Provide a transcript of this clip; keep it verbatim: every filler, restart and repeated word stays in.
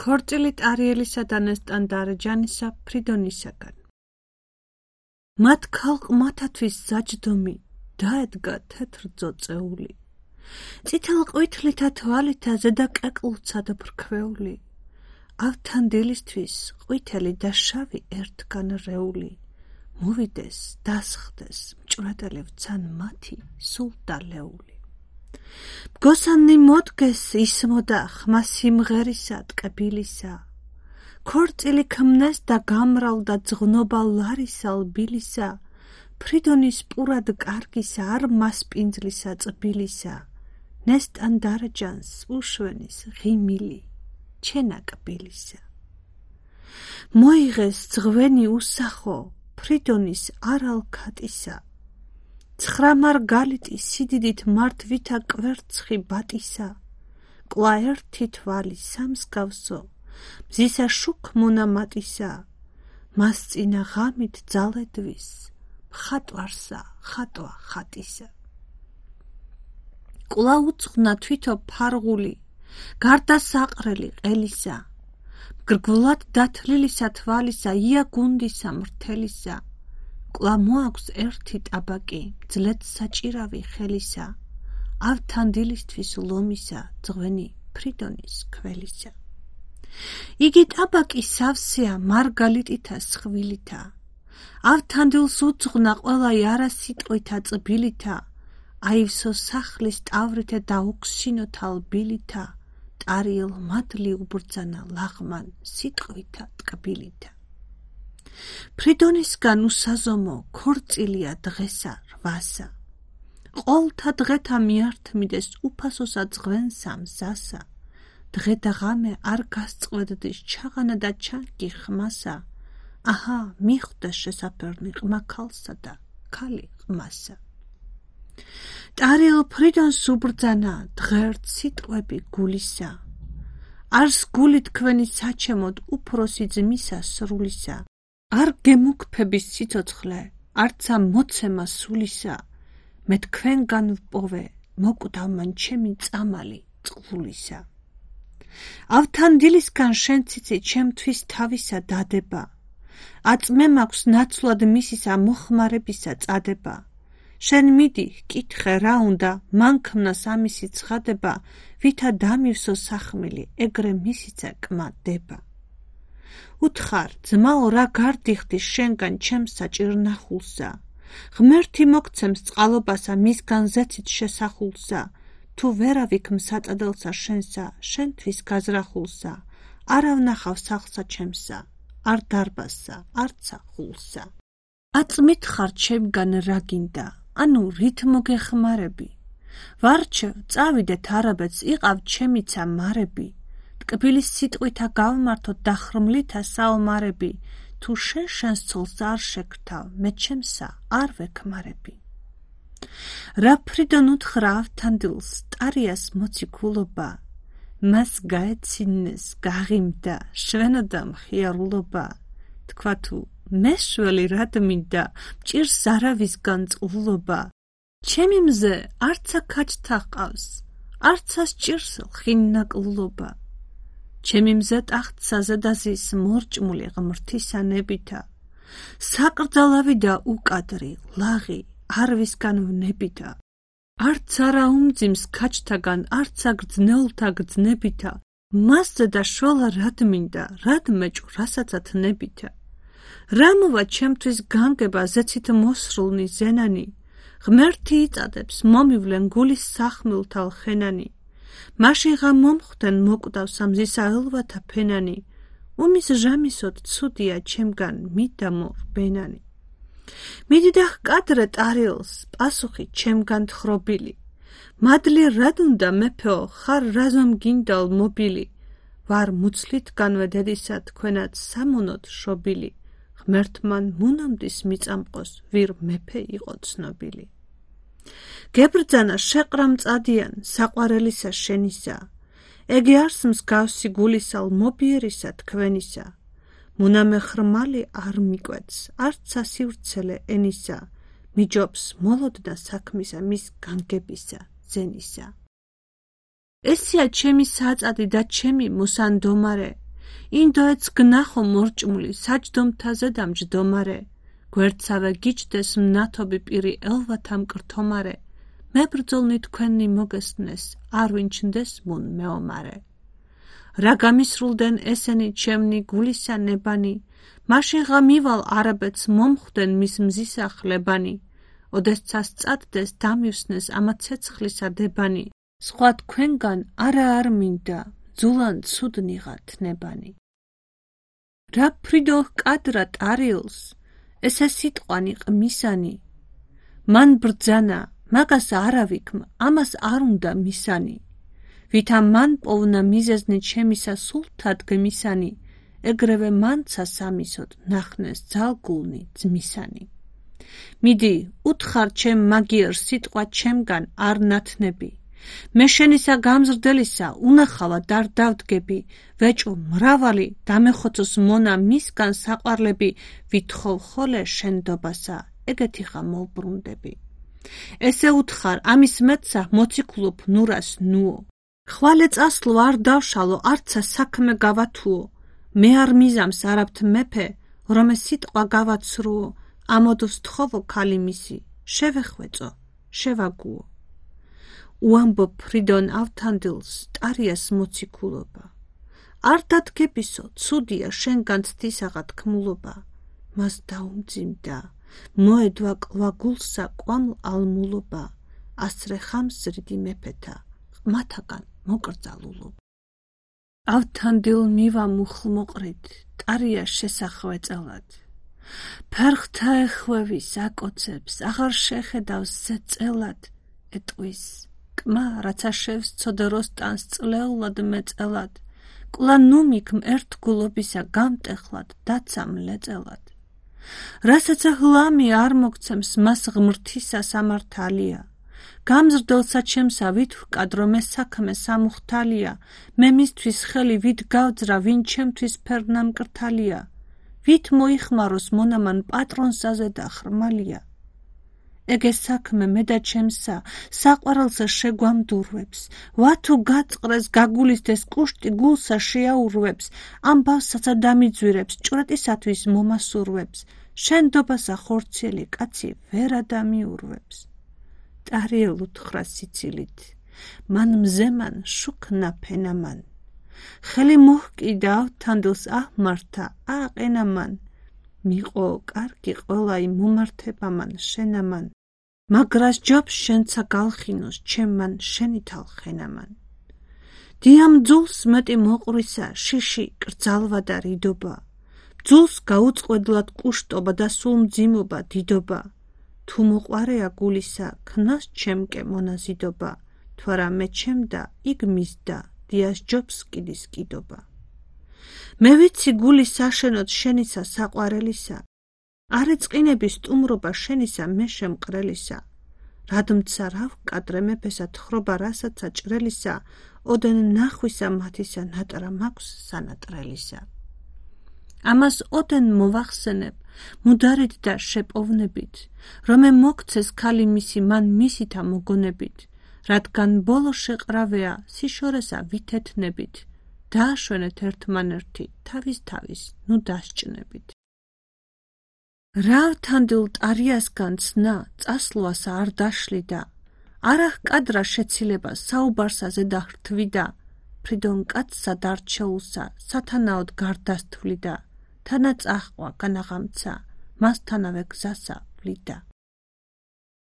ქორწილი ტარიელისა და ნესტანდარეჯანისა ფრიდონისაგან. მათ ქალყმათათვის საჯდომი დაედგა თეთრ ძოწეული. წითელ ყვითლითა თვალითა ზედა კეკლუცად ფრქვეული. ავთან დილისთვის ყვითელი და შავი ერთგან რეული. მოვიდეს, დასხდეს, მჭვრეტელი ვცან მათი სულ დალეული. მგოსანი მოდგეს ისმოდა ხმა სიმღერისა ტკბილისა. ქორწილი ქმნეს და გამრავლდა ძღნობა ლარისა ლბილისა. ფრიდონის პურად კარგისა არ მასპინძლისა წბილისა. ნესტანდარეჯანს უშვენის ღიმილი ჩენა კბილისა. მოიღეს ძღვენი უსახო ფრიდონის არალქატისა. ცხრა მარგალიტი სიდიდით მართვითა კვერცხი ბატისა. კლა ერთი თვალი სამსგავსო მზისა შუქ მონამატისა. მას წინა ღამით ძალედვის მხატვარსა ხატვა ხატისა. კლა უცხნა თვითო ფარღული გარდა საყრელი ყელისა. მგრგვლად დათლილისა თვალისა ია გუნდისა მრთელისა. კლა მოაქვს ერთი ტაბაკი მძლეთ საჭირავი ხელისა. ავთან დილისთვის ლომისა ძღვენი ფრიდონის ქველისა. იგი ტაბაკი სავსეა მარგალიტითა სხვილითა. ავთან დილს უძღვნა ყველა იარა სიტყვითა წბილითა. აივსო სახლის ტავრითა და უქსინოთა ლბილითა. ტარიელ მადლი უბრძანა ლაღმან სიტყვითა ტკბილითა. ფრიდონისგან უსაზომო ქორწილია დღესა რვასა. ყოლთა დღეთა მიართმიდეს უფასოსა ძღვენსა მზასა. დღე და ღამე არ გასწყვეტდის ჩაღანა და ჩანგი ხმასა. აჰა მიხვდა შესაფერნი ყმა ქალსა და ქალი ყმასა. ტარიელ ფრიდონს უბრძანა დღერთ სიტყვები გულისა. არს გული თქვენი საჩემოდ უფროსი ძმისა სრულისა. არ გემუქფების სიცოცხლე არცა მოცემა სულისა. მე თქვენგან ვპოვე მოკვდავ მან ჩემი წამალი წყლულისა. ავთან დილისგან შენ ციცი ჩემთვის თავისა დადება. აწმე მაქვს ნაცვლად მისისა მოხმარებისა წადება. შენ მიდი კითხე რა უნდა მანქნას ამისი ცხადება. ვითა დამივსო სახმილი ეგრე მისიცა კმადება. უთხარ ძმაო რა გარდიხდი შენგან ჩემს საჭირნახულსა. ღმერთი მოგცემს წყალობასა მისგან ზეცით შესახულსა. თუ ვერავიქ მსაწადელსა შენსა შენთვის გაზრახულსა. არა ვნახავ სახლსა ჩემსა არ დარბაზსა არცა ხულსა. აწმით ხარ ჩემგან რა გინდა ანუ რით მოგეხმარები. ვარჩევ წავიდეთ არაბეთს იყავ ჩემიცა მარები. ტკბილის სიტყვითა გავმართოთ დახრმლითა საომარები. თუ შენ შენს ცოლს არ შეგრთავ მე ჩემსა არ ვექმარები. რა ფრიდონ უთხრა ავთან დილს ტარიას მოციქულობა. მას გაეცინეს გაღიმდა შვენოდა მხიარულობა. თქვა თუ მეშველი რად მინდა მჭირს არავისგან წყლულობა. ჩემი მზე არცა ქაჯთა ჰყავს არცა სჭირს ხინნაკლულობა. ჩემი მზე ტახტსა ზედაზის მორჭმული ღმრთისა ნებითა. საკრძალავი და უკადრი ლაღი არვისგან ვნებითა. არც არა უმძიმს ქაჯთაგან არცა გრძნეულთა გრძნებითა. მასზე და შვალა რად მინდა რად მეჭუ რასაცა თნებითა. რა მოვა ჩემთვის განგება ზეცით მოსრულნი ზენანი. ღმერთი იწადებს მომივლენ გულის სახმილთა ლხენანი. მაშინ ღა მომხვდენ მოკვდავს ამზისა ელვათა ფენანი. უმის ჟამისოდ ცუდია ჩემგან მიდამო რბენანი. მიდი და ჰკადრე ტარიელს პასუხი ჩემგან თხრობილი. მადლი რად უნდა მეფეო ხარ რაზომ გინდალ მობილი. ვარ მუცლითგანვე დედისა თქვენად სამონოდ შობილი. ღმერთმან მუნამდის მიწამყოს ვირ მეფე იყო ცნობილი. გებრძანა შეყრა მწადიან საყვარელისა შენისა. ეგი არს მსგავსი გულისა ლმობიერისა თქვენისა. მუნამე ხრმალი არ მიკვეთს არცა სივრცელე ენისა. მიჯობს მოლოდნა საქმისა მის განგებისა ზენისა. ესია ჩემი საწადი და ჩემი მოსანდომარე. ინდოეთს გნახო მორჭმული საჯდომთაზე დამჯდომარე, გვერდსავე გიჩდეს მნათობი პირი ელვათა მკრთომარე, მებრძოლნი თქვენი მოგესმნეს, არ ვინჩნდეს მუნ მეომარე. რა გამისრულდნენ ესენი ჩემნი გულისა ნებანი, მაშინ ღა მივალ არაბეთს მომხვდნენ მის მზისახლებანი, ოდესცას წადდეს დამივსნეს ამა ცეცხლისა დებანი, სხვა თქვენგან არა არ მინდა, ძულან ცუდნიღათ ნებანი. რა ფრიდო ჰკადრა ტარიელს, ესე სიტყვანი ყმისანი, მან ბრძანა, მაგას არავიქმ, ამას არ უნდა მისანი, ვითა მან პოვნა მიზეზნი ჩემისა სულთად გმისანი, ეგრევე მანცა სამისოდ ნახნეს ძალგულნი ძმისანი. მიდი, უთხარ ჩემ მაგიერ სიტყვა ჩემგან არ ნათნები, მე შენისა გამზრდელისა უნახავად არ დავდგები, ვეჭო მრავალი დამეხოცოს მონა მისგან საყვარლები, ვითხოვ ხოლე შენდობასა, ეგეთი ხა მოვბრუნდები. ესე უთხარ, ამის მეტსა მოციქულობ ნურას ნუო, ხვალე წასლო არ დავშალო, არცა საქმე გავათუო, მე არ მიზამს არაბთ მეფე, რომ ეს სიტყვა გავაცრუო, ამოდოს თხოვო ქალი მისი, შევეხვეწო, შევაგუო. უამბობ ფრიდონ ავთანდილს, ტარიას მოციქულობა. არ დადგებისო, ცუდია შენგან ცდისაღა თქმულობა, მას დაუმძიმდა, მოედვა კლა გულსა კვამლ ალმულობა, ასრე ხამსრიდი მეფეთა, ყმათაგან მოკრძალულობა. ავთანდილ მივა მუხლმოყრით, ტარია შესახვეწელად. ფერხთა ეხვევის აკოცებს, აღარ შეხედავს ზეწელად, ეტყვის, კმა რაცა შევს ცოდეროსტანს წლეულად მეწელად, კლა ნუმიქმ ერთგულობისა გამტეხლად, დაცამ ლეწელად. რასაცა ჰლამი არ მოგცემს მას ღმრთისა სამართალია, გამზრდელსა ჩემსა ვით ვკადრო მე საქმე სამუხთალია, მე მისთვის ხელი ვით გავძრა, ვინ ჩემთვის ფერნა მკრთალია, ვით მოიხმაროს მონამან პატრონსაზე და ხრმალია. ეგე საქმე მე და ჩემსა საყვარელსა შეგვამდურვებს, ვათუ გაწყრეს გაგულისდეს კუშტი გულსა შეაურვებს, ამბავსაცა დამიძვირებს, ჭვრეტისათვის მომასურვებს, შენდობასა ხორციელი კაცი ვერ ადამიანურვებს. ტარიელ უთხრა სიცილით, მან მზემან შუქნა ფენამან, ხელი მოჰკიდა ავთანდილს აჰმართა აყენამან, მიყო კარგი ყველაი მომართებამან შენამან, მაგრას ჯობს შენცა გალხინოს ჩემმან შენითალ ხენამან. დიამ ძულს მეტი მოყვრისა შიში კრძალვა და რიდობა, ძულს გაუწყვედლად კუშტობა და სულ მძიმობა დიდობა, თუ მოყვარეა გულისა ქნას ჩემკე მონაზიდობა, თუ არა მე ჩემდა იქ მისდა, დიას ჯობს კიდის კიდობა. მე ვიცი გული საშენოდ შენისა საყვარელისა, არ ეწყინები სტუმრობა შენისა მე შემყრელისა, რადმცა რა ვკადრე მეფესა თხრობა რასაცა ჭრელისა, ოდენ ნახვისა მათისა ნატრა მაქვს სანატრელისა. ამას ოდენ მოვახსენებ, მუდარით და შეპოვნებით, რომ მე მოგცეს ქალი მისი მან მისითა მოგონებით, რადგან ბოლო შეყრავეა სიშორესა ვითეთნებით, დააშვენეთ ერთმანერთი თავის თავის ნუ დასჭნებით. რა ავთანდილ ტარიასგან ცნა წასვლასა არ დაშლიდა, არა ჰკადრა შეცილება საუბარსა ზედაჰრთვიდა, ფრიდონ კაცსა დარჩეულსა სათანაოდ გარდასთვლიდა, თანაც აჰყვა განაღამცა, მასთანავე გზასა ვლიდა.